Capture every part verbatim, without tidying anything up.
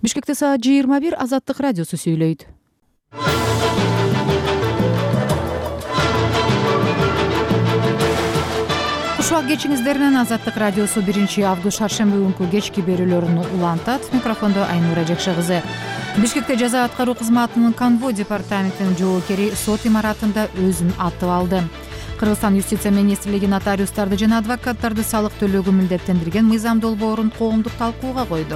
Бишкекте саат жыйырма бир. Азаттык радиосу сүйлөйт. Кушак кечиңиздеринен Азаттык радиосу биринчи август шаршемби күнкү кечки берүүлөрүн улантат. Микрофондо Айнура Жекше кызы. Бишкекте жаза аткаруу кызматынын конвой департаментинин жоокери сот имаратында өзүн атып алды. Кыргызстан юстиция министрлиги нотариустарды жана адвокаттарды салык төлөөгө милдеттендирген мыйзам долбоорун коомдук талкууга койду.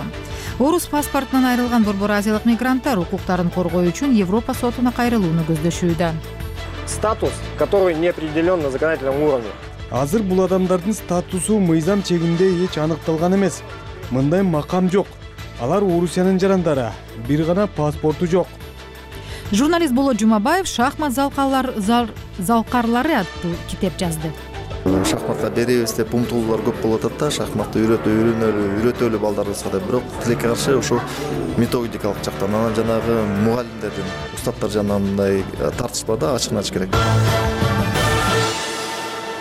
Орус паспортунан айрылган Борбор Азиялык мигранттар укуктарын коргоо үчүн Европа сотуна кайрылууну көздөшүүдө. Статус, который не определен на законодательном уровне. Азыр бул адамдардын статусу мыйзам чегинде эч аныкталган эмес. Мындай макам жок. Алар Орусиянын жарандары, бир гана паспорту жок. Журналист Болот Жумабаев шахмат залкалар залкарлары аттуу китеп жазды. Шахматка беребиз деп умтулуулар көп болуп атат да, шахматты үйрөтө үйрөнөлү, үйрөтөлү балдарыбызга деп. Бирок тилекке каршы ошо методикалык жактан анан жанагы мугалимдердин, устаттар жанынан мындай тартыш бар да, ачыгын ачык керек.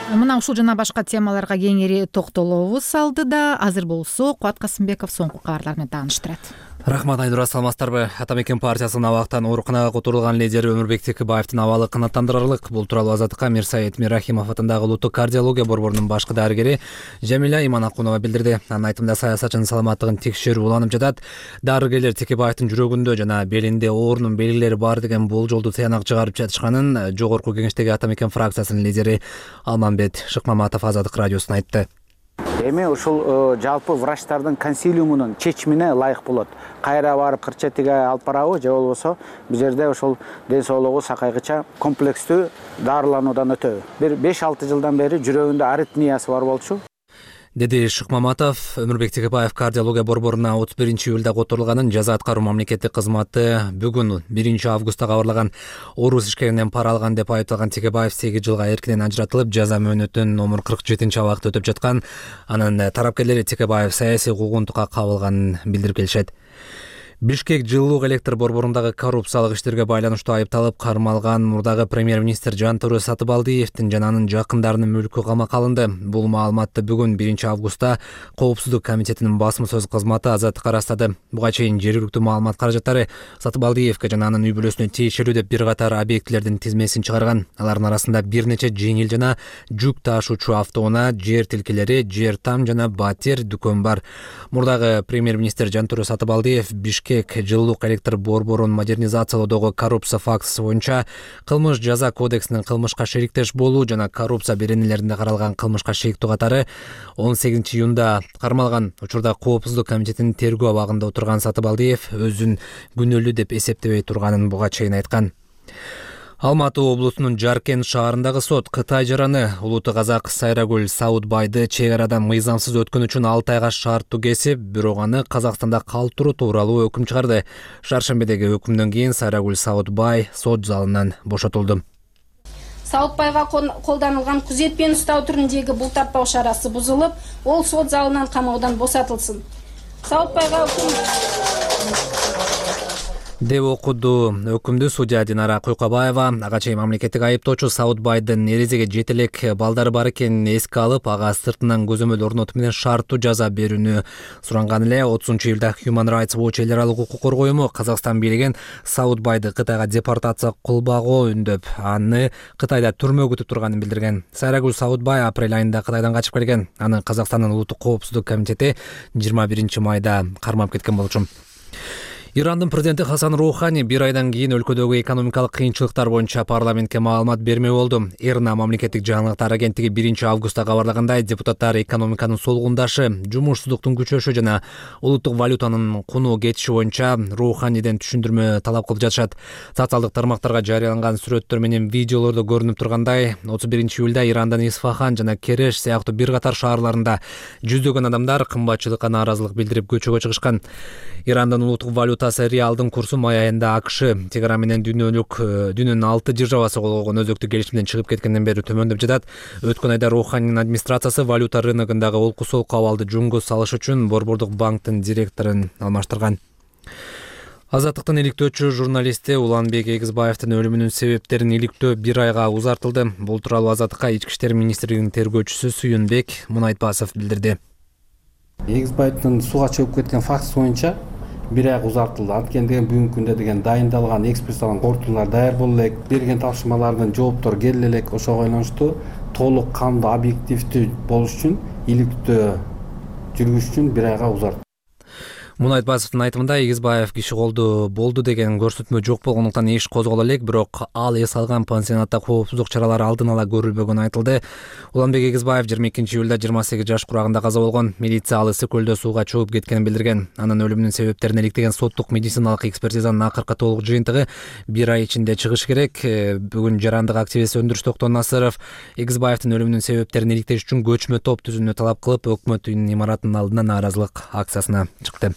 Мына ушул жана башка темаларга кеңири токтолобуз алдыда. Азыр болсо Кубат Касымбеков соңку кабарлар менен тааныштырат. Рахмат Айнура, саламатсыздарбы? Атамекен партиясынын абактан ооруканага которулган лидери Өмүрбек Текебаевдин абалы канааттандырарлык. Бул тууралуу Азаттыкка Мирсаид Мирахимов атындагы улуттук кардиология борборунун башкы дарыгери Жамиля Иманакунова билдирди. Анын айтымында саясатчынын саламаттыгын текшерүү уланып жатат. Дарыгерлер Текебаевдин жүрөгүндө жана белинде оорунун белгилери бар деген болжолду тыянак чыгарып жатышканын жогорку кеңештеги Атамекен фракциясынын лидери Алмамбет Шыкмаматов Азаттык радиосуна айтты. Эми ушул жалпы врачтардын консилиумунун чечимине ылайык болот. Кайра барып кырчетиге алып барабы же болбосо бул жерде ошол ден соолугу сакайгыча комплекстүү дарылануудан өтөбү. Бир беш алты жылдан бери жүрөгүндө аритмиясы бар болчу, деди Шыкмаматов. Өмүрбек Текебаев кардиология борборуна отуз биринчи июлда которулганын жаза аткаруу мамлекеттик кызматы бүгүн биринчи августта кабарлаган. Орус ишкеринен пара алган деп айыпталган Текебаев сегиз жылга эркинен ажыратылып, жаза мөөнөтүн номер кырк жетинчи абакта өтөп жаткан. Анын тарапкерлери Текебаев саясий куугунтукка кабылганын билдирип келишет. Бишкек жылуулук электр борборундагы коррупциялык иштерге байланыштуу айыпталып кармалган мурдагы премьер-министр Жантура Сатыбалдиевдин жана анын жакындарынын мүлкү камакка алынды. Бул маалыматты бүгүн биринчи августта Коопсуздук комитетинин басма сөз кызматы Азаттыкка ырастады. Буга чейин жергиликтүү маалымат каражаттары Сатыбалдиевге жана анын үй-бүлөсүнө тиешелүү деп бир катар объектилердин тизмесин чыгарган. Алардын арасында бир нече жеңил жана жүк ташуучу автоунаа, жер тилкелери, жер там жана батир дүкөн бар. Мурдагы премьер-министр Жантура Сатыбалдиев Бишкек жылуулук электр борборун модернизациялоодогу коррупция фактысы боюнча кылмыш жаза кодексинин кылмышка шериктеш болуу жана коррупция беренелеринде каралган кылмышка шериктүү катары он сегизинчи июнда кармалган. Учурда Коопсуздук комитетинин тергөө абагында отурган Сатыбалдиев өзүн күнөөлүү деп эсептебей турганын буга чейин айткан. Алматы облусунун Жаркент шаарындагы сот Кытай жараны улуттук казак Сайрагүл Саудбайды чек арадан мыйзамсыз өткөн үчүн алты айга шарттуу кесип, бирок аны Казакстанда калтыруу тууралуу өкүм чыгарды. Шаршембедеги өкүмдөн кийин Сайрагүл Саудбай сот залынан бошотулду. Саудбайга колданылган күзет менен уктоо түрүндөгү бултартпоо чарасы бузулуп, ол сот залынан камаудан босотулсын. Саудбайга өкүм деп окуду өкүмдү судья Динара Куйкабаева. Ага чейин мамлекеттик айыптоочу Саудбайдын эрезеге жете элек балдары бар экенин эске алып, ага сыртынан көзөмөл орнотуу менен шарттуу жаза берүүнү суранган эле. отузунчу июлда Human Rights Watch эл аралык укук коргоо уюму Казакстан бийлигин Саудбайды Кытайга депортация кылбагуу үндөп, аны Кытайда түрмө күтүп турганын билдирген. Сайрагүл Саудбай апрель айында Кытайдан качып келген. Аны Казакстандын улуттук коопсуздук комитети жыйырма биринчи майда кармап кеткен болчу. Ирандын президенти Хасан Роухани бир айдан кийин өлкөдөгү экономикалык кыйынчылыктар боюнча парламентке маалымат бермей болду. Эрна мамлекеттик жаңылыктар агенттиги биринчи августта кабарлагандай, депутаттар экономиканын солгундашы, жумушсуздуктун күчөшү жана улуттук валютанын куну кетиши боюнча Роуханиден түшүндүрмө талап кылып жатышат. Социалдык тармактарга жарыяланган сүрөттөр менен видеолордо көрүнүп тургандай, отуз биринчи июлда Ирандын Исфахан жана Кереш сыяктуу бир катар шаарларында жүздөгөн адамдар кымбатчылыкка нааразылык билдирип көчөгө чыгышкан. Ирандын улуттук валюта реалдын курсу май айында АКШ Тегеран менен дүйнөлүк дүйнөнүн алты державасы кол койгон өзөктүк келишимден чыгып кеткенден бери төмөндөп жатат. Өткөн айда Роуханинин администрациясы валюта рыногундагы олку-солку абалды жөнгө салыш үчүн Борбордук банктын директорун алмаштырган. Азаттыктын иликтөөчү журналисти Уланбек Эгизбаевдин өлүмүнүн себептерин иликтөө бир айга узартылды. Бул тууралуу Азаттыкка Ички иштер министрлигинин тергөөчүсү Сүйүнбек Мунайтбасов билдирди. Эгизбаевдин сууга чөгүп кеткен фактысы боюнча бир ай узартылды. Анткени деген бүгүнкү күндө деген дайындалган экспрессталган корутуулар даяр боло элек, берген тапшырмалардын жооптору келе элек. Ошого байланыштуу толук кандуу объективдүү болуш үчүн, иликтөө жүргүзүш үчүн бир айга узартты. Мунай Айтбасовдун айтымында Эгизбаев киши колду болду деген көрсөтмө жок болгондуктан иш козголо элек, бирок ал эс алган пансионатта коопсуздук чаралары алдын ала көрүлбөгөнү айтылды. Уланбек Эгизбаев жыйырма экинчи июлда жыйырма сегиз жаш курагында каза болгон. Милиция ал ысык көлдө сууга чөгүп кеткенин билдирген. Анын өлүмүнүн себептерин иликтеген соттук медициналык экспертизанын акыркы толук жыйынтыгы бир ай ичинде чыгыш керек. Бүгүн жарандык активист Өндүрүш Токтон Насыров Эгизбаевдин өлүмүнүн себептерин иликтеш үчүн көчмө топ түзүүнү талап кылып, өкмөт үйүнүн имаратынын алдына нааразылык акциясына чыкты.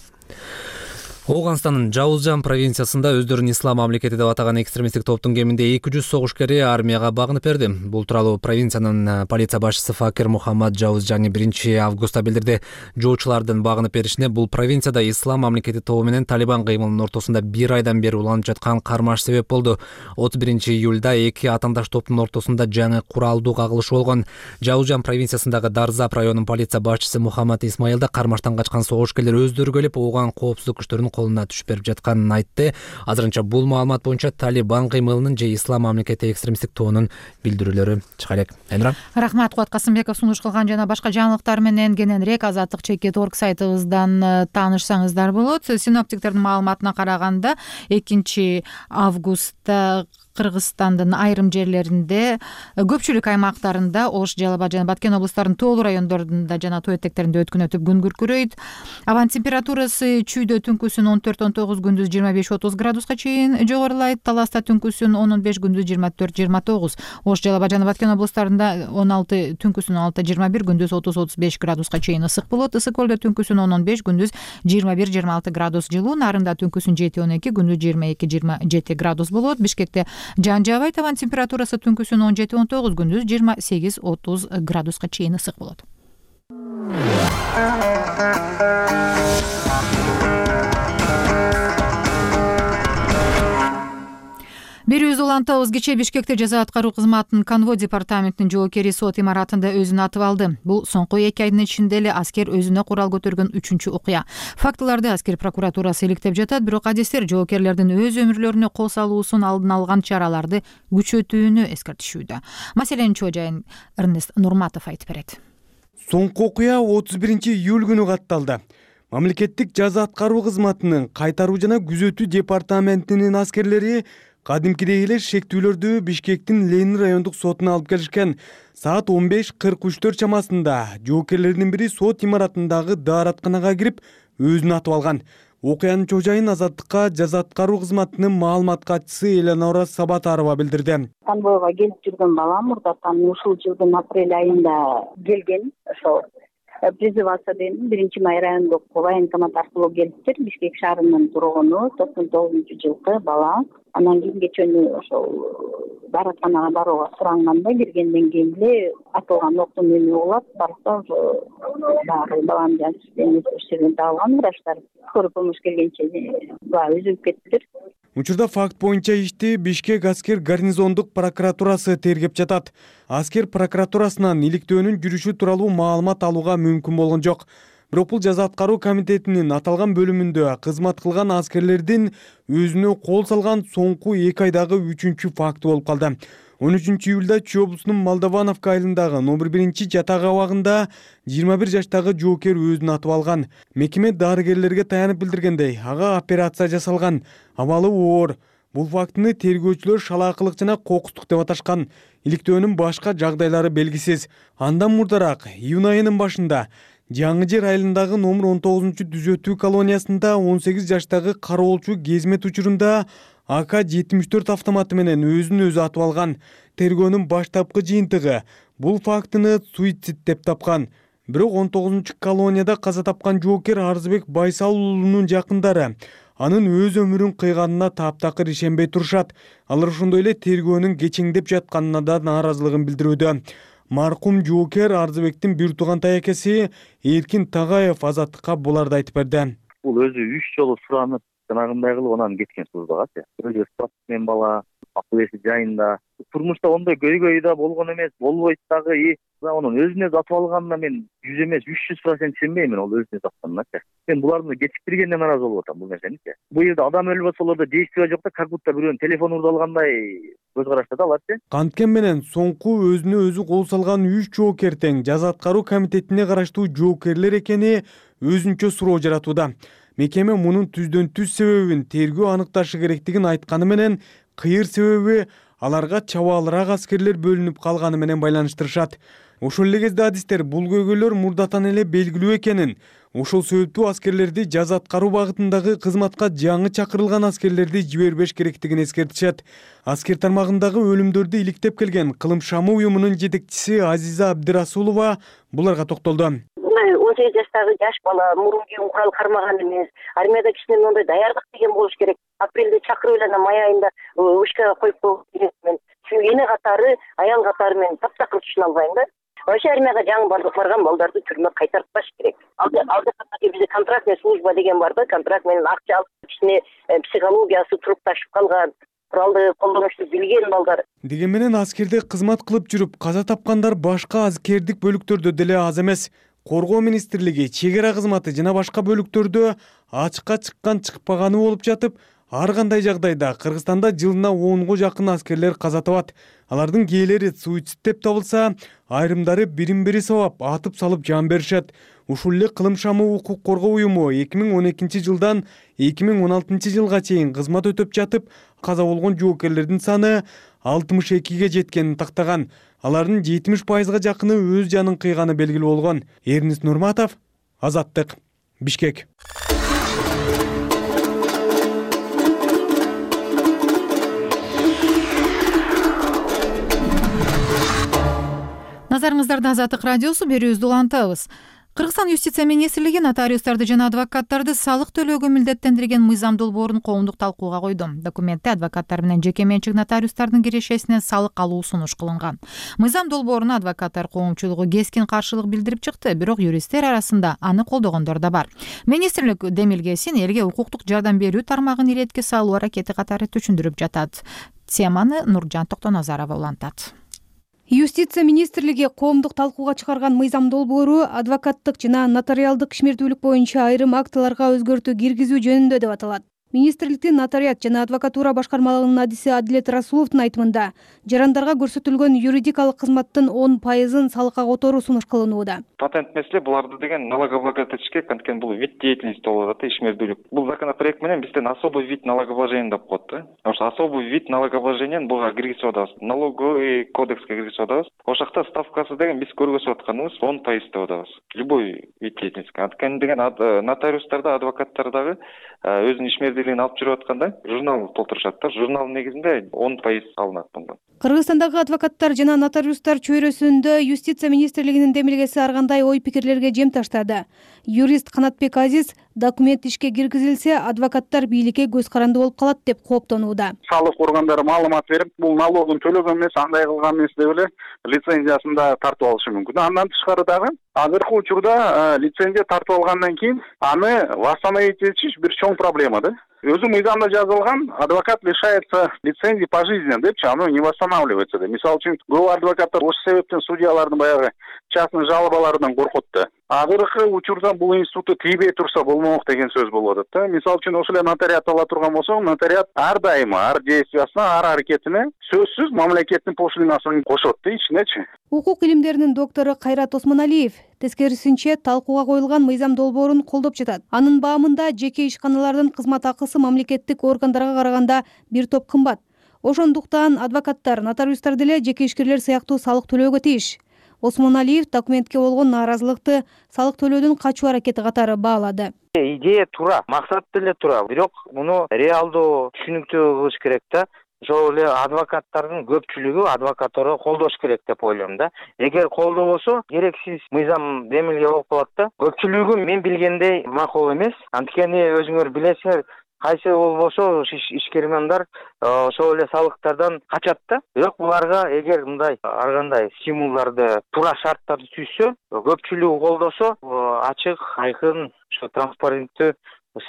Ооганстандын Жаузжан провинциясында өздөрүн ислам мамлекети деп атаган экстремисттик топтун кеминде эки жүз согушкери армияга багынып берди. Бул тууралуу провинциянын полиция башчысы Факир Мухаммад Жаузжани биринчи августта билдирди. Жоочулардын багынып беришине бул провинцияда ислам мамлекети тобу менен Талибан кыймылынын ортосунда бир айдан бери уланып жаткан кармаш себеп болду. отуз биринчи июлда эки атандаш топтун ортосунда жаңы куралдуу кагылышуу болгон. Жаузжан провинциясындагы Дарзап районунун полиция башчысы Мухаммад Исмаил да кармаштан качкан согушкерлер өздөрү келип, ооган коопсуздук күчтөрүнүн колуна түшүп берип жатканын айтты. Азырынча бул маалымат боюнча Талибан кыймылынын же ислам мамлекети экстремисттик тобунун билдирүүлөрү чыга элек. Айнура. Рахмат, Кубат Касымбеков сунуш кылган жана башка жаңылыктар менен кененирээк азаттык чекит орг сайтыбыздан таанышсаңыздар болот. Синоптиктердин маалыматына караганда экинчи августта Кыргызстандын айрым жерлеринде, көпчүлүк аймактарында, Ош, Жалал Абад жана Баткен облустарынын тоолуу райондорунда жана тоо этектеринде өткүнөтүп күн күркүрөйт. Абанын температурасы чүйдө түнкүсүн он төрт он тогуз, күндүз жыйырма беш отуз градуска чейин жогорулайт. Таласта түнкүсүн он он беш, күндүз жыйырма төрт жыйырма тогуз. Ош, Жалал Абад жана Баткен облустарында он алты, түнкүсүн он алты жыйырма бир, күндүз отуз отуз беш градуска чейин ысык болот. Ысык көлдө түнкүсүн он он беш, күндүз жыйырма бир жыйырма алты градус жылуу. Нарында түнкүсүн жети он эки, күндүз жыйырма эки жыйырма жети градус болот. Бишкекте жан жабайт. Табан температурасы түнкүсүн он жети он тогуз, күндүз жыйырма сегиз отуз градуска чейин ысык болот. Берүүбүздү улантабыз. Кечээ Бишкекте жаза аткаруу кызматынын конвой департаментинин жоокери сот имаратында өзүн атып алды. Бул соңку эки айдын ичинде эле аскер өзүнө курал көтөргөн үчүнчү окуя. Фактыларды аскер прокуратурасы иликтеп жатат, бирок адистер жоокерлердин өз өмүрлөрүнө кол салуусун алдын алган чараларды күчөтүүнү эскертишүүдө. Маселенин чоо жайын Эрнест Нурматов айтып берет. Соңку окуя отуз биринчи июль күнү катталды. Мамлекеттик жаза аткаруу кызматынын кайтаруу жана күзөтүү департаментинин аскерлери кадимкидей эле шектүүлөрдү Бишкектин Ленин райондук сотуна алып келишкен. Саат он беш кырк үчтөр чамасында жоокерлердин бири сот имаратындагы дааратканага кирип өзүн атып алган. Окуянын чоо жайын Азаттыкка жаза аткаруу кызматынын маалымат катчысы Элеонора Сабатарова билдирди. Конвойго келип жүргөн балам мурдатан ушул жылдын апрель айында келген. Ошо призываться деген биринчи май райондук военкомат аркылуу келиптир. Бишкек шаарынын тургуну, токсон тогузунчу жылкы бала. Анан кийин кечөөнү ошол дааратканага барууга суранганда киргенден кийин эле атылган октун үнү угулат. Барса ошо баары баланын жанын иштеген табылган врачтар. Скорый помощь келгенче бала үзүлүп кетиптир. Учурда факт боюнча ишти Бишкек аскер гарнизондук прокуратурасы тергеп жатат. Аскер прокуратурасынан иликтөөнүн жүрүшү тууралуу маалымат алууга мүмкүн болгон жок. Бирок бул жаза аткаруу комитетинин аталган бөлүмүндө кызмат кылган аскерлердин өзүнө кол салган соңку эки айдагы үчүнчү факты болуп калды. он үчүнчү июлда Чүй облусунун Молдовановка айылындагы номер биринчи жатак абагында жыйырма бир жаштагы жоокер өзүн атып алган. Мекеме дарыгерлерге таянып билдиргендей, ага операция жасалган, абалы оор. Бул фактыны тергөөчүлөр шалаакылык жана кокустук деп аташкан. Иликтөөнүн башка жагдайлары белгисиз. Андан мурдараак июнь айынын башында Жаңы жер айылындагы номер он тогузунчу түзөтүү колониясында он сегиз жаштагы кароолчу кезмет учурунда А К жетимиш төрт автоматы менен өзүн өзү атып алган. Тергөөнүн баштапкы жыйынтыгы бул фактыны суицид деп тапкан. Бирок он тогузунчу колонияда каза тапкан жоокер Арзыбек Байсал уулунун жакындары анын өз өмүрүн кыйганына таптакыр ишенбей турушат. Алар ошондой эле тергөөнүн кечеңдеп жатканына да нааразылыгын билдирүүдө. Маркум жоокер Арзыбектин бир туугантай экеси Эркин Тагаев Азаттыкка буларды айтып берди. Бул өзү үч жолу суранып, жанагындай кылып анан кеткен сууздагачы. Өзү спортсмен бала, акыл эси жайында. Турмушта ондай көйгөй да болгон эмес, болбойт дагы. И анын өзүнө сатып алганына мен жүз эмес үч жүз процент ишенбеймин ол өзүнө сатканыначы. Мен буларды кечиктиргенге нааразы болуп атам бул нерсеничи. Бул жерде адам өлүп атса аларда действие жок да, как будто бирөөнүн телефону урдалгандай көз карашта да аларчы. Канткен менен соңку өзүнө өзү кол салган үч жоокер тең жаза аткаруу комитетине караштуу жоокерлер экени өзүнчө суроо жаратууда. Мекеме мунун түздөн түз себебин тергөө аныкташы керектигин айтканы менен кыйыр себеби аларга чабаалыраак аскерлер бөлүнүп калганы менен байланыштырышат. Ошол эле кезде адистер бул көйгөйлөр мурдатан эле белгилүү экенин, ошол себептүү аскерлерди жаза аткаруу багытындагы кызматка жаңы чакырылган аскерлерди жибербеш керектигин эскертишет. Аскер тармагындагы өлүмдөрдү иликтеп келген Кылым шамы уюмунун жетекчиси Азиза Абдырасулова буларга токтолду. он сегиз жаштагы жаш бала мурун кийин курал кармаган эмес. Армияда кичинен мындай даярдык деген болуш керек. Апрелде чакырып эле май айында ушкага коюп коюп мен. Чүнкү эне катары, аял катары мен таптакыр түшүнө албайм да. Вообще армияга жаңы барган балдарды түрмө кайтартпаш керек. Алда алда бизде контрактный служба деген бар да, контракт менен акча алып кичине психологиясы туруп ташып калган, куралды колдонушту билген балдар. Деген менен аскерде кызмат кылып жүрүп каза тапкандар башка аскердик бөлүктөрдө деле аз эмес. Коргоо министрлиги, чек ара кызматы жана башка бөлүктөрдө ачыкка чыккан чыкпаганы болуп жатып, ар кандай жагдайда Кыргызстанда жылына онго жакын аскерлер каза табат. Алардын кээлери суицид деп табылса, айрымдары бирин-бири сабап атып салып жан беришет. Ушул эле Кылым шамы укук коргоо уюму эки миң он экинчи жылдан эки миң он алтынчы жылга чейин кызмат өтөп жатып, каза болгон жоокерлердин саны алтымыш экиге жеткенин тактаган. Алардын жетимиш пайызга жакыны өз жанын кыйганы белгилүү болгон. Эрнис Нурматов, Азаттык, Бишкек. Назарыңыздарда Азаттык радиосу, берүүбүздү улантабыз. Кыргызстан юстиция министрлиги нотариустарды жана адвокаттарды салык төлөөгө милдеттендирген мыйзам долбоорун коомдук талкууга койду. Документте адвокаттар менен жеке менчик нотариустардын кирешесинен салык алуу сунуш кылынган. Мыйзам долбооруна адвокаттар коомчулугу кескин каршылык билдирип чыкты, бирок юристтер арасында аны колдогондор да бар. Министрлик демилгесин элге укуктук жардам берүү тармагын иретке салуу аракети катары түшүндүрүп жатат. Теманы Нуржан Токтоназарова улантат. Юстиция министрлиги коомдук талкууга чыгарган мыйзам долбоору адвокаттык жана нотариалдык ишмердүүлүк боюнча айрым актыларга өзгөртүү киргизүү жөнүндө деп аталат. Министрликтин нотариат жана адвокатура башкармалыгынын адиси Адилет Расуловдун айтымында, жарандарга көрсөтүлгөн юридикалык кызматтын он пайызын салыкка которуу сунуш кылынууда. Патент меселе буларды деген налогооблагодательский, анткени бул вид деятельности болуп атат, ишмердүүлүк. Бул законопроект менен бизден особый вид налогообложения деп коет да. Ошо особый вид налогообложениени буга киргизип атабыз. Налоговый кодекске киргизип атабыз. Ошол жакта ставкасы деген биз көргөзүп атканыбыз он пайыз деп атабыз. Любой вид деятельности. Анткени деген нотариустарда, адвокаттардагы өзүнүн ишмердүүлүгүн алып жүрүп атканда журнал толтурушат да. Журналдын негизинде он пайыз алынат мындан. Кыргызстандагы адвокаттар жана нотариустар чөйрөсүндө юстиция министрлигинин демилгеси ар кандай ой пикирлерге жем таштады. Юрист Канатбек Азиз документ ишке киргизилсе, адвокаттар бийликке көз каранды болуп калат деп кооптонууда. Салык органдары маалымат берип, бул налогун төлөгөн эмес, андай кылган эмес деп эле лицензиясын да тартып алышы мүмкүн. Андан тышкары дагы азыркы учурда лицензия тартып алгандан кийин аны восстановить этиш бир чоң проблема да. Өзү мыйзамда жазылган, адвокат лишается лицензии пожизненно депчи, оно не восстанавливается да. Мисалы үчүн көп адвокаттар ошол себептен судьялардын баягы частный жалобаларынан коркот да. Азыркы учурда бул институтту тийбей турса болмок деген сөз болуп атат да. Мисалы үчүн ошол эле нотариат ала турган болсоң, нотариат ар дайыма, ар действиясына, ар аракетине сөзсүз мамлекеттин пошлинасын кошот да ичинечи. Укук илимдеринин доктору Кайрат Осмоналиев тескерисинче талкууга коюлган мыйзам долбоорун колдоп жатат. Анын баамында жеке ишканалардын кызмат акысы мамлекеттик органдарга караганда бир топ кымбат. Ошондуктан адвокаттар, нотариустар деле жеке ишкерлер сыяктуу салык төлөөгө тийиш. Осмоналиев документке болгон нааразылыкты салык төлөөдөн качуу аракети катары баалады. Идея туура, максат деле туура, бирок муну реалдуу түшүнүктүү кылыш керек да. Ошол эле адвокаттардын көпчүлүгү адвокатураны колдош керек деп ойлойм да. Эгер колдобосо, керексиз мыйзам демилге болуп калат да. Көпчүлүгү мен билгендей макул эмес. Анткени өзүңөр билесиңер, кайсы болбосо ишкермандар ошол эле салыктардан качат да. Бирок буларга эгер мындай ар кандай стимулдарды, туура шарттарды түзсө, көпчүлүгү колдосо, ачык, айкын, ошо транспаренттүү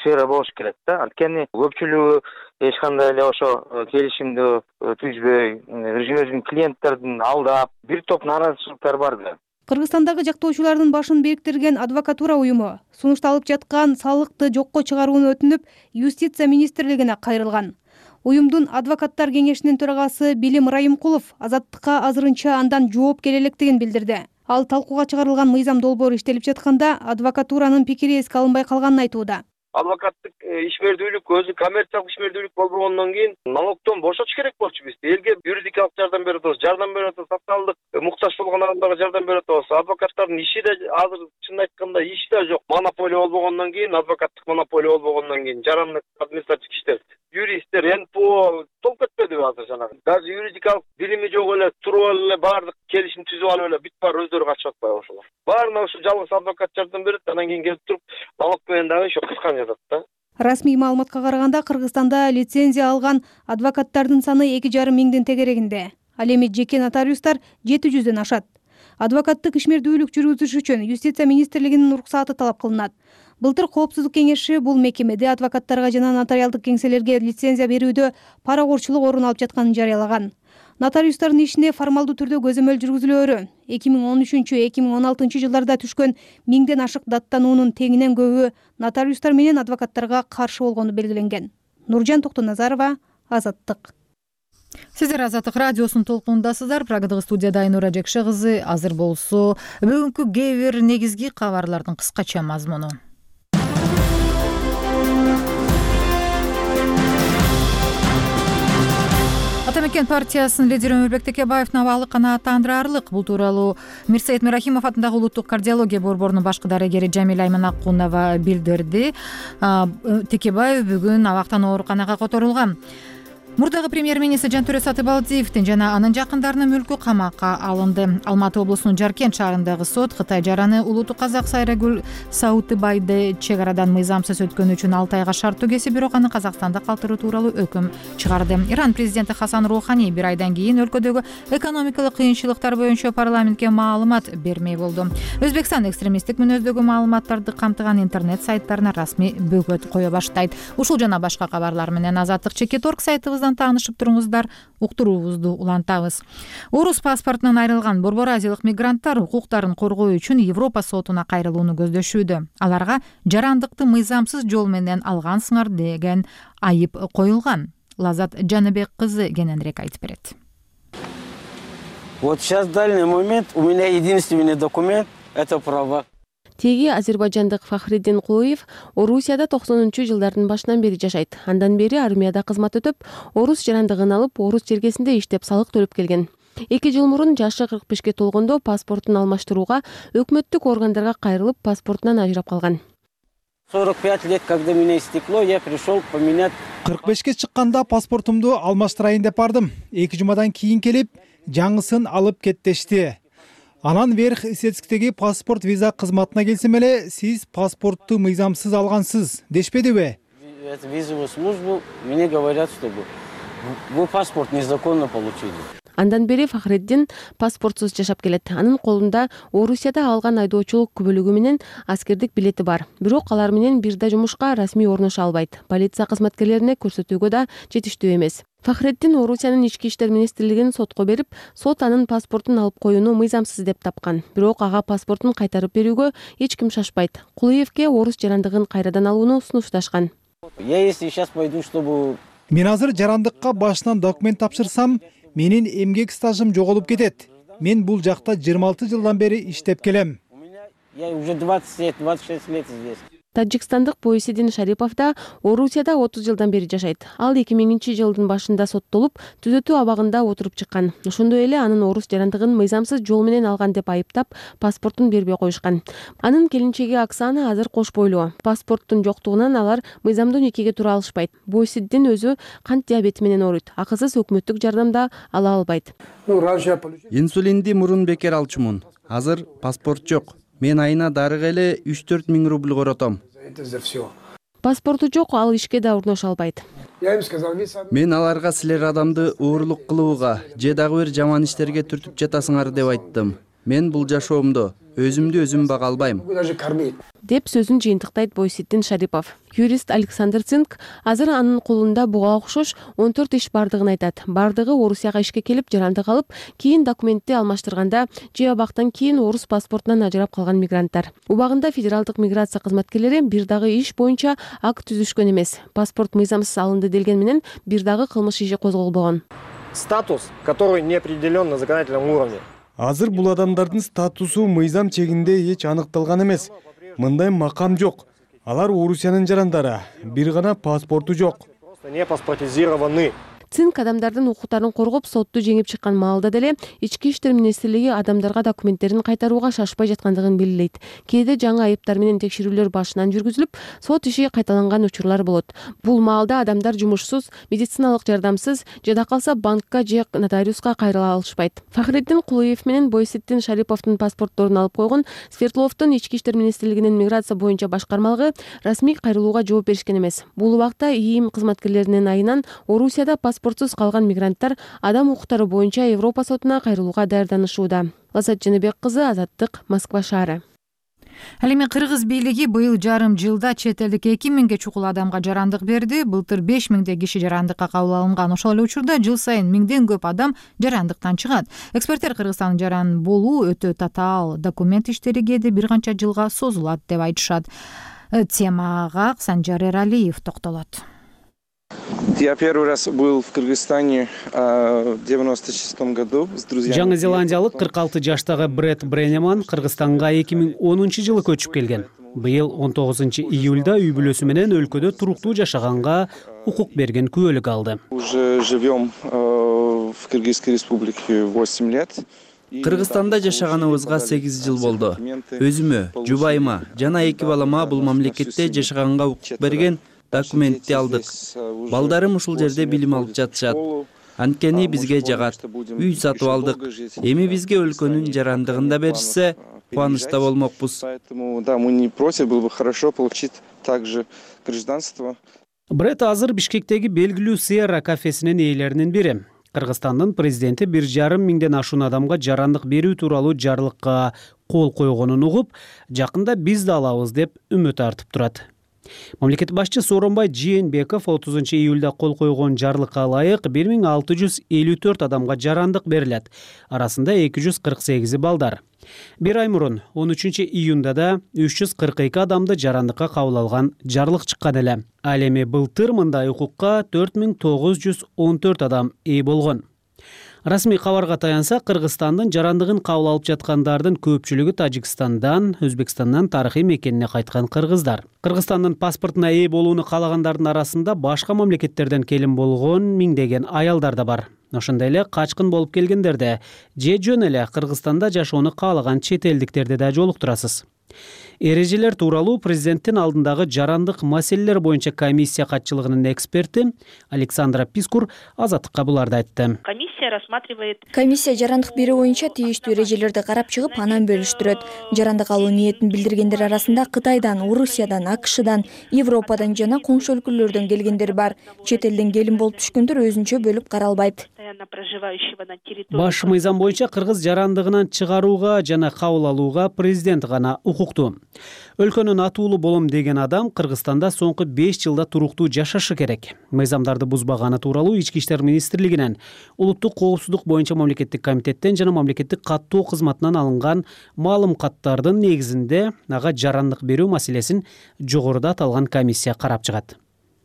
сфера болуш керек да. Анткени көпчүлүгү эч кандай эле ошо келишимди түзбөй, өзүнүн клиенттерин алдап, бир топ нааразычылыктар бар да. Кыргызстандагы жактоочулардын башын бириктирген адвокатура уюму сунушталып жаткан салыкты жокко чыгарууну өтүнүп, Юстиция министрлигине кайрылган. Уюмдун адвокаттар кеңешинин төрагасы Билим Райымкулов Азаттыкка азырынча андан жооп келе электигин билдирди. Ал талкууга чыгарылган мыйзам долбоору иштелип жатканда адвокатуранын пикири эске алынбай калганын айтууда. Адвокаттык ишмердүүлүк өзү коммерциялык ишмердүүлүк болбогондон кийин налогдон бошотуш керек болчу бизди. Элге юридикалык жардам берип атабыз, жардам берип атабыз, социалдык муктаж болгон адамдарга жардам берип атабыз. Адвокаттардын иши да азыр чын айтканда иши да жок. Монополия болбогондон кийин, адвокаттык монополия болбогондон кийин жарандык административдик иштер, юристтер, эн пэ о толуп кетпедиби азыр жанагы. Даже юридикалык билими жок эле туруп эле баардык келишим түзүп алып эле бүт баары өздөрү качып атпайбы ошолор. Баарына ушу жалгыз адвокат жардам берет, анан кийин келип туруп налог менен дагы ошо кыскан жатат да. Расмий маалыматка караганда Кыргызстанда лицензия алган адвокаттардын саны эки жарым миңдин тегерегинде. Ал эми жеке нотариустар жети жүздөн ашат. Адвокаттык ишмердүүлүк жүргүзүш үчүн Юстиция министрлигинин уруксаты талап кылынат. Былтыр Коопсуздук кеңеши бул мекемеде адвокаттарга жана нотариалдык кеңселерге лицензия берүүдө паракорчулук орун алып жатканын жарыялаган. Нотариустардын ишине формалдуу түрдө көзөмөл жүргүзүлөөрү эки миң он үчүнчү эки миң он алтынчы жылдарда түшкөн миңден ашык даттануунун теңинен көбү нотариустар менен адвокаттарга каршы болгону белгиленген. Нуржан Токтоназарова, Азаттык. Сиздер Азаттык радиосунун толкунундасыздар. Прагадагы студияда Айнура Жекше кызы. Азыр болсо бүгүнкү кээ бир негизги кабарлардын кыскача мазмуну. Атамекен партиясынын лидери Өмүрбек Текебаевдин абалы канааттандырарлык. Бул тууралуу Мирсаид Мирахимов атындагы улуттук кардиология борборунун башкы дарыгери Жамиля Айманакунова билдирди. Текебаев бүгүн абактан ооруканага которулган. Мурдагы премьер-министр Жантөре Сатыбалдиевдин жана анын жакындарынын мүлкү камакка алынды. Алматы облусунун Жаркент шаарындагы сот Кытай жараны улуттук казак Сайрагүл Саутыбайды чек арадан мыйзамсыз өткөнү үчүн алты айга шарттуу кесип, бирок аны Казакстанда калтыруу тууралуу өкүм чыгарды. Иран президенти Хасан Роухани бир айдан кийин өлкөдөгү экономикалык кыйынчылыктар боюнча парламентке маалымат бермей болду. Өзбекстан экстремисттик мүнөздөгү маалыматтарды камтыган интернет сайттарына расмий бөгөт кое баштайт. Ушул жана башка кабарлар менен Азаттык Чекит орг сайтыбыз таанышып туруңуздар, уктуруубузду улантабыз. Орус паспортунан айрылган Борбор Азиялык мигранттар укуктарын коргоо үчүн Европа сотуна кайрылууну көздөшүүдө. Аларга жарандыкты мыйзамсыз жол менен алгансыңар деген айып коюлган. Лазат Жаныбек кызы кененирээк айтып берет. Вот сейчас в данный момент у меня единственный документ – это права. Теги азербайжандык Фахриддин Кулуев Орусияда токсонунчу жылдардын башынан бери жашайт. Андан бери армияда кызмат өтүп, орус жарандыгын алып, орус чергесинде иштеп салык төлөп келген. Эки жыл мурун жашы кырк бешке толгондо паспортун алмаштырууга өкмөттүк органдарга кайрылып, паспортунан ажырап калган. сорок пять лет, когда меня истекло, я пришел поменять. кырк бешке чыкканда паспортумду алмаштырайын деп бардым. Эки жумадан кийин келип, жаңысын алып кеттешти. Анан верх исетсиктеги паспорт виза кызматына келсем эле, сиз паспортту мыйзамсыз алгансыз дешпедиби? Визовую службу, мне говорят, что вы паспорт незаконно получили. Андан бери Фахриддин паспортсуз жашап келет. Анын колунда Орусияда алган айдоочулук күбөлүгү менен аскердик билети бар. Бирок алар менен бир да жумушка расмий орношо албайт. Полиция кызматкерлерине көрсөтүүгө да жетиштүү эмес. Фахриддин Орусиянын ички иштер министрлигин сотко берип, сот анын паспортун алып коюуну мыйзамсыз деп тапкан. Бирок ага паспортун кайтарып берүүгө эч ким шашпайт. Кулуевке орус жарандыгын кайрадан алууну сунушташкан. Я если сейчас пойду, чтобы... Мен азыр жарандыкка башынан документ тапшырсам, менин эмгек стажым жоголуп кетет. Мен бул жакта жыйырма алты жылдан бери иштеп келем. Я уже двадцать лет, двадцать шесть лет здесь. Таджикстандык Бойсидин Шарипов да Орусияда отуз жылдан бери жашайт. Ал эки миңинчи жылдын башында соттолуп, түзөтүү абагында отуруп чыккан. Ошондой эле анын орус жарандыгын мыйзамсыз жол менен алган деп айыптап, паспортун бербей коюшкан. Анын келинчеги Оксана азыр кош бойлуу. Паспорттун жоктугунан алар мыйзамдуу никеге тура алышпайт. Бойсидин өзү кант диабети менен ооруйт. Акысыз өкмөттүк жардам да ала албайт. Инсулинди мурун бекер алчумун. Азыр паспорт жок. Мен айына дарыга эле үч төрт миң рубль коротом. Паспорту жок, ал ишке да орношо албайт. Мен аларга силер адамды оорлук кылууга же дагы бир жаман иштерге түртүп жатасыңар деп айттым. мен бул жашоомдо өзүмдү өзүм бага албайм деп сөзүн жыйынтыктайт Бойситдин Шарипов. Юрист Александр Цинк азыр анын колунда буга окшош он төрт иш бардыгын айтат. Бардыгы Орусияга ишке келип жарандык алып, кийин документти алмаштырганда же абактан кийин орус паспортунан ажырап калган мигранттар. Убагында федералдык миграция кызматкерлери бир дагы иш боюнча акт түзүшкөн эмес. Паспорт мыйзамсыз алынды делген менен бир дагы кылмыш иши козголбогон. Статус, который не определен на законодательном уровне. Азыр бул адамдардын статусу мыйзам чегинде эч аныкталган эмес. Мындай макам жок. Алар Орусиянын жарандары, бир гана паспорту жок. Просто не паспортизированы. Цинк адамдардын укуктарын коргоп, сотту жеңип чыккан маалда деле Ички иштер министрлиги адамдарга документтерин кайтарууга шашпай жаткандыгын белгилейт. Кээде жаңы айыптар менен текшерүүлөр башынан жүргүзүлүп, сот иши кайталанган учурлар болот. Бул маалда адамдар жумушсуз, медициналык жардамсыз, жада калса банкка же нотариуска кайрыла алышпайт. Фахриддин Кулуев менен Бойситдин Шариповдун паспортторун алып койгон Свердловдун Ички иштер министрлигинин миграция боюнча башкармалыгы расмий кайрылууга жооп беришкен эмес. Бул убакта ИИМ кызматкерлеринин айынан Орусияда паспортсуз калган мигранттар адам укуктары боюнча Европа сотуна кайрылууга даярданышууда. Лазат Жаныбек кызы, Азаттык, Москва шаары. Ал эми Кыргыз бийлиги быйыл жарым жылда чет элдик эки миңге чукул адамга жарандык берди. Былтыр беш миңдей киши жарандыкка кабыл алынган. Ошол эле учурда жыл сайын миңден көп адам жарандыктан чыгат. Эксперттер Кыргызстандын жаран болуу өтө татаал документ иштери кээде бир канча жылга созулат деп айтышат. Темага Санжар Эралиев токтолот. Я первый раз был в Кыргызстане в девяносто шестом году с друзьями. Жаңы Зеландиялык кырк алты жаштагы Бред Бренеман Кыргызстанга эки миң онунчу жылы көчүп келген. Быйыл он тогузунчу июлда үй бүлөсү менен өлкөдө туруктуу жашаганга укук берген күбөлүк алды. Уже живем в Кыргызской республике восемь лет. Кыргызстанда жашаганыбызга сегиз жыл болду. Өзүмө, жубайыма жана эки балама бул мамлекетте жашаганга укук берген документти алдык. Балдарым ушул жерде билим алып жатышат. Анткени бизге жагат. Үй сатып алдык. Эми бизге өлкөнүн жарандыгын да беришсе, кубанычта болмокпуз. Поэтому да, мы не против, было бы хорошо получить также гражданство. Бред азыр Бишкектеги белгилүү Сierra кафесинин ээлеринин бири. Кыргызстандын президенти бир жарым миңден ашуун адамга жарандык берүү тууралуу жарлыкка кол койгонун угуп, жакында биз да алабыз деп үмүт артып турат. Мамлекет башчы Сооронбай Жээнбеков отузунчу июлда кол койгон жарлыкка ылайык бир миң алты жүз элүү төрт адамга жарандык берилет. Арасында эки жүз кырк сегизи балдар. Бир ай мурун он үчүнчү июнда да үч жүз кырк эки адамды жарандыкка кабыл алган жарлык чыккан эле. Ал эми былтыр мындай укукка төрт миң тогуз жүз он төрт адам ээ болгон. Расмий кабарга таянсак, Кыргызстандын жарандыгын кабыл алып жаткандардын көпчүлүгү Тажикстандан, Өзбекстандан тарыхый мекенине кайткан кыргыздар. Кыргызстандын паспортуна ээ болууну каалагандардын арасында башка мамлекеттерден келин болгон миңдеген аялдар да бар. Ошондой эле качкын болуп келгендерде же жөн эле Кыргызстанда жашоону каалаган чет элдиктерди да жолуктурасыз. Эрежелер тууралуу президенттин алдындагы жарандык маселелер боюнча комиссия катчылыгынын эксперти Александра Пискур Азаттыкка буларды айтты. Комиссия рассматривает. Комиссия жарандык берүү боюнча тийиштүү эрежелерди карап чыгып, анан бөлүштүрөт. Жарандык алуу ниетин билдиргендер арасында Кытайдан, Орусиядан, АКШдан, Европадан жана коңшу өлкөлөрдөн келгендер бар. Чет элден келин болуп түшкөндөр өзүнчө бөлүп каралбайт. Баш мыйзам боюнча кыргыз жарандыгынан чыгарууга жана кабыл алууга президент гана укуктуу. Өлкөнүн атуулу болом деген адам Кыргызстанда соңку беш жылда туруктуу жашашы керек. Мыйзамдарды бузбаганы тууралуу Ички иштер министрлигинен, улуттук коопсуздук боюнча мамлекеттик комитеттен жана мамлекеттик каттоо кызматынан алынган маалым каттардын негизинде ага жарандык берүү маселесин жогоруда аталган комиссия карап чыгат.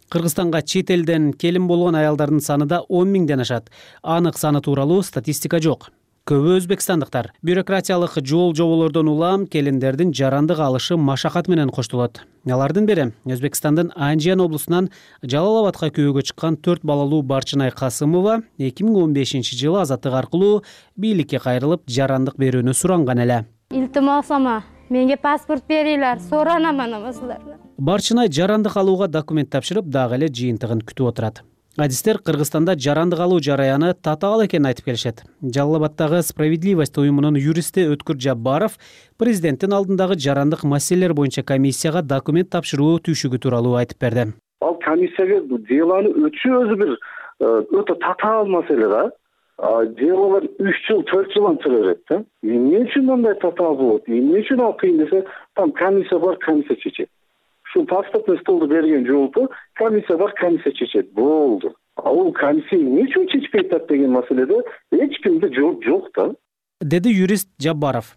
Кыргызстанга чет элден келин болгон аялдардын саны да он миңден ашат. Анык саны тууралуу статистика жок. Көбү өзбекстандыктар бюрократиялык жол жоболордон улам келиндердин жарандык алышы машакат менен коштолот. Алардын бири Өзбекстандын Анжиян облусунан Жалал-Абадка күйөөгө чыккан төрт балалуу Барчынай Касымова эки миң он бешинчи жылы Азаттык аркылуу бийликке кайрылып жарандык берүүнү суранган эле. Илтимосама, менге паспорт бериңер, соранаман амасылардан. Барчынай жарандык алууга документ тапшырып, дагы эле жыйынтыгын күтүп отурат. Адистер Кыргызстанда жарандык алуу жараяны татаал экенин айтып келишет. Жалал-Абадтагы Справедливость уюмунун юристи Өткүр Жаббаров президенттин алдындагы жарандык маселелер боюнча комиссияга документ тапшыруу түйшүгү тууралуу айтып берди. Ал комиссияга делону өтүшү өзү бир өтө татаал маселе да. же болбосо үч жыл төрт жылдан тура берет да. Эмне үчүн мындай татаал болот, эмне үчүн ал кыйын десе, там комиссия бар, комиссия чечет. Ушул паспортный столду берген жолку комиссия бар, комиссия чечет, болду. А бул комиссия эмне үчүн чечпей атат деген маселеде эч кимде жооп жок да, деди юрист Жаббаров.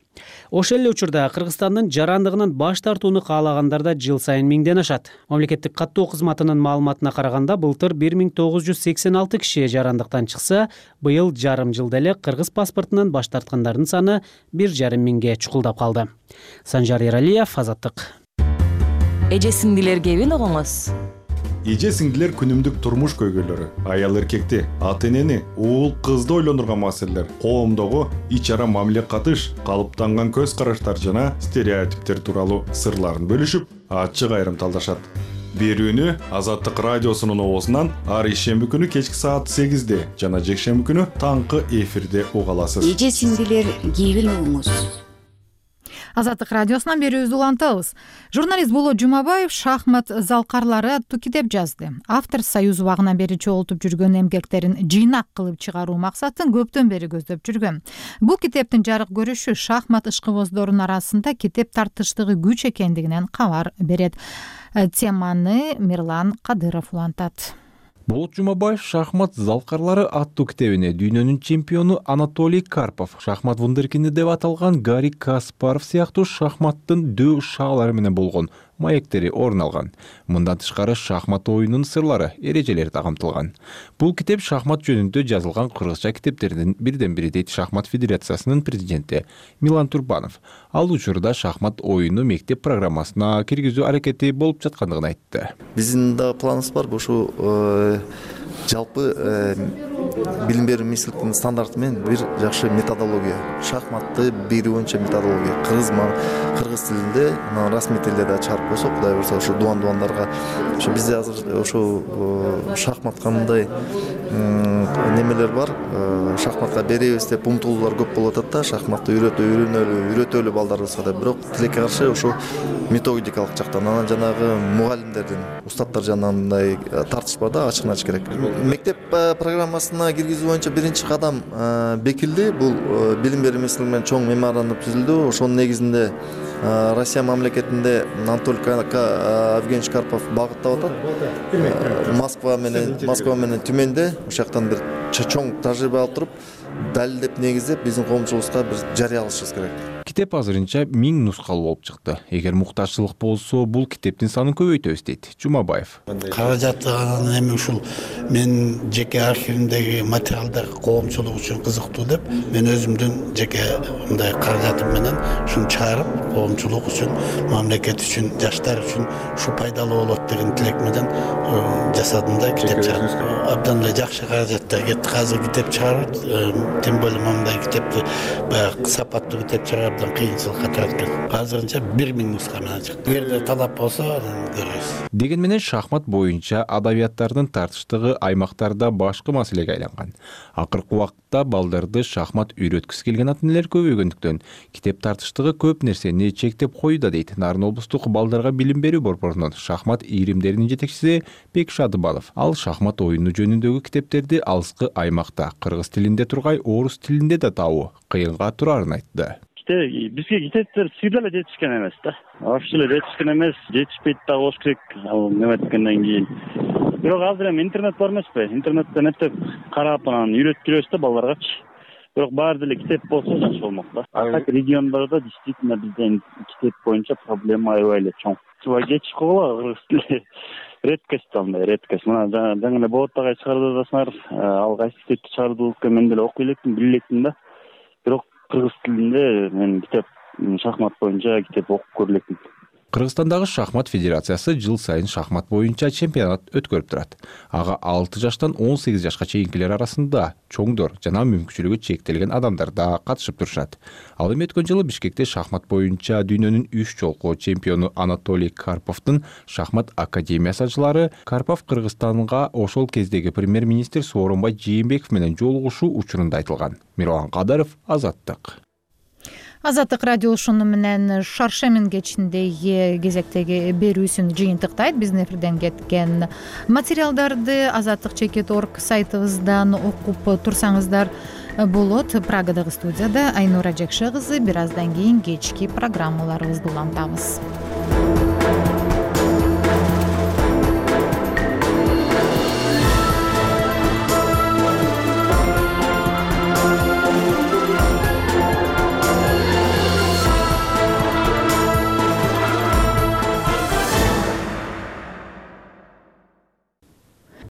Ошол эле учурда Кыргызстандын жарандыгынан баш тартууну каалагандар да жыл сайын миңден ашат. Мамлекеттик каттоо кызматынын маалыматына караганда, былтыр бир миң тогуз жүз сексен алты киши жарандыктан чыкса, быйыл жарым жылда эле кыргыз паспортунан баш тарткандардын саны бир жарым миңге чукулдап калды. Санжар Эралиев, Азаттык. Эже сиңдилер кебин огоңуз. Эже сиңдилер күнүмдүк турмуш көйгөйлөрү, аял эркекти, ата энени, уул кызды ойлондурган маселелер, коомдогу ич ара мамиле катыш, калыптанган көз караштар жана стереотиптер тууралуу сырларын бөлүшүп, ачык айрым талдашат. Берүүнү Азаттык радиосунун оозунан ар ишемби күнү кечки саат сегизде жана жекшемби күнү таңкы эфирде уга аласыз. Эже сиңдилер кебин огоңуз. Азаттык радиосунан берүүбүздү улантабыз. Журналист Болот Жумабаев шахмат залкарлары аттуу китеп жазды. Автор Союз убагынан бери чогултуп жүргөн эмгектерин жыйнак кылып чыгаруу максатын көптөн бери көздөп жүргөн. Бул китептин жарык көрүшү шахмат ишкыбоздорунун арасында китеп тартыштыгы күч экендигинен кабар берет. Теманы Мирлан Кадыров улантат. Болот Жумабаев шахмат залкарлары аттуу китебине дүйнөнүн чемпиону Анатолий Карпов, шахмат вундеркинди деп аталган Гарри Каспаров сыяктуу шахматтын дөң шаалары менен болгон маектери орун алган. Мындан тышкары шахмат оюнунун сырлары, эрежелери да камтылган. Бул китеп шахмат жөнүндө жазылган кыргызча китептердин бирден бири дейт Шахмат федерациясынын президенти Милан Турбанов. Ал учурда шахмат оюну мектеп программасына киргизүү аракети болуп жаткандыгын айтты. Биздин да планыбыз бар, ушул жалпы билим берүү министрлигинин стандарты менен бир жакшы методология, шахматты берүү боюнча методология кыргыз кыргыз тилинде, расмий тилде да чыгарып койсок, кудай буюрса ушу дуан-дуандарга, ошо bizde азыр ошо шахмат кандай немелер бар, шахматка беребиз деп умтулуулар көп болуп атат да, шахматты үйрөтө үйрөнөлү, үйрөтөлү балдарыбызга деп, бирок тилекке каршы ошо методикалык жактан, анан жанагы мугалимдердин, устаттар жанынан мындай тартыш бар да, ачыгын ачык керек. Мектеп программасына киргизүү боюнча биринчи кадам бекилди. Бул билим берүү министрлиги менен чоң меморандум түзүлдү. Ошонун негизинде Россия мамлекетинде Анатолий Евгеньевич Карпов багыттап атат. Москва менен Москва менен Түмөндө ошол жактан бир чоң тажрыйба алып туруп, далилдеп негиздеп биздин коомчулукка бир жарыялашыбыз керек. Китеп азырынча миң нускалуу болуп чыкты. Эгер муктажчылык болсо, бул китептин санын көбөйтөбүз дейт Жумабаев. Каражаты анан эми ушул мен жеке архивимдеги материалдар коомчулук үчүн кызыктуу деп, мен өзүмдүн жеке мындай каражатым менен ушуну чыгарып, коомчулук үчүн, мамлекет үчүн, жаштар үчүн ушу пайдалуу болот деген тилек менен жасадым да китеп чыгардым. Абдан эле жакшы каражаттар кетти. Азыр китеп чыгарып, тем более мындай китепти баягы сапаттуу китеп чыгарып кыйынчылыкка тараткен. Азырынча бир миң нуска менен чыкты. Эгерде талап болсо, көрөбүз. Деген менен шахмат боюнча адабияттардын тартыштыгы аймактарда башкы маселеге айланган. Акыркы убакытта балдарды шахмат үйрөткүсү келген ата-энелер көбөйгөндүктөн китеп тартыштыгы көп нерсени чектеп коюуда дейт Нарын облустук балдарга билим берүү борборунун шахмат ийримдеринин жетекчиси Бек Шадыбалов. Ал шахмат оюну жөнүндөгү китептерди алыскы аймакта кыргыз тилинде тургай орус тилинде да табуу кыйынга турарын айтты. Бизге китептер сыйда эле жетишкен эмес да. Вообще эле жетишкен эмес, жетишпейт да болуш керек. Ал неметкенден кийин. Бирок азыр эми интернет бар эмеспи? Интернеттен эптеп карап анан үйрөтүп жүрөбүз да балдаргачы. Бирок баары деле китеп болсо жакшы болмок да. А региондордо действительно бизде китеп боюнча проблема аябай эле чоң. Чуба кетиш коола кыргыз тили. Редкость андай, редкость. Мына жаңы эле Болот агай чыгарды дасыңар, ал кайсы китепти чыгарды экен, мен деле окуй электим, биле электим да. Бирок кыргыз тилинде мен китеп шахмат боюнча китеп окуп көрө электим. Кыргызстандагы шахмат федерациясы жыл сайын шахмат боюнча чемпионат өткөрүп турат. Ага алты жаштан он сегиз жашка чейинкилер арасында чоңдор жана мүмкүнчүлүгү чектелген адамдар да катышып турушат. Ал эми өткөн жылы Бишкекте шахмат боюнча дүйнөнүн үч жолку чемпиону Анатолий Карповдун шахмат академиясы ачылары Карпов Кыргызстанга ошол кездеги премьер-министр Сооронбай Жээнбеков менен жолугушуу учурунда айтылган. Мирлан Кадыров, Азаттык. Азаттык радио ушуну менен шаршемин кечиндеги кезектеги берүүсүн жыйынтыктайт. Биздин эфирден кеткен материалдарды азаттык чекит точка орг сайтыбыздан окуп турсаңыздар болот. Прагадагы студияда Айнура Жекше кызы. Бир аздан кийин кечки программаларыбызды улантабыз.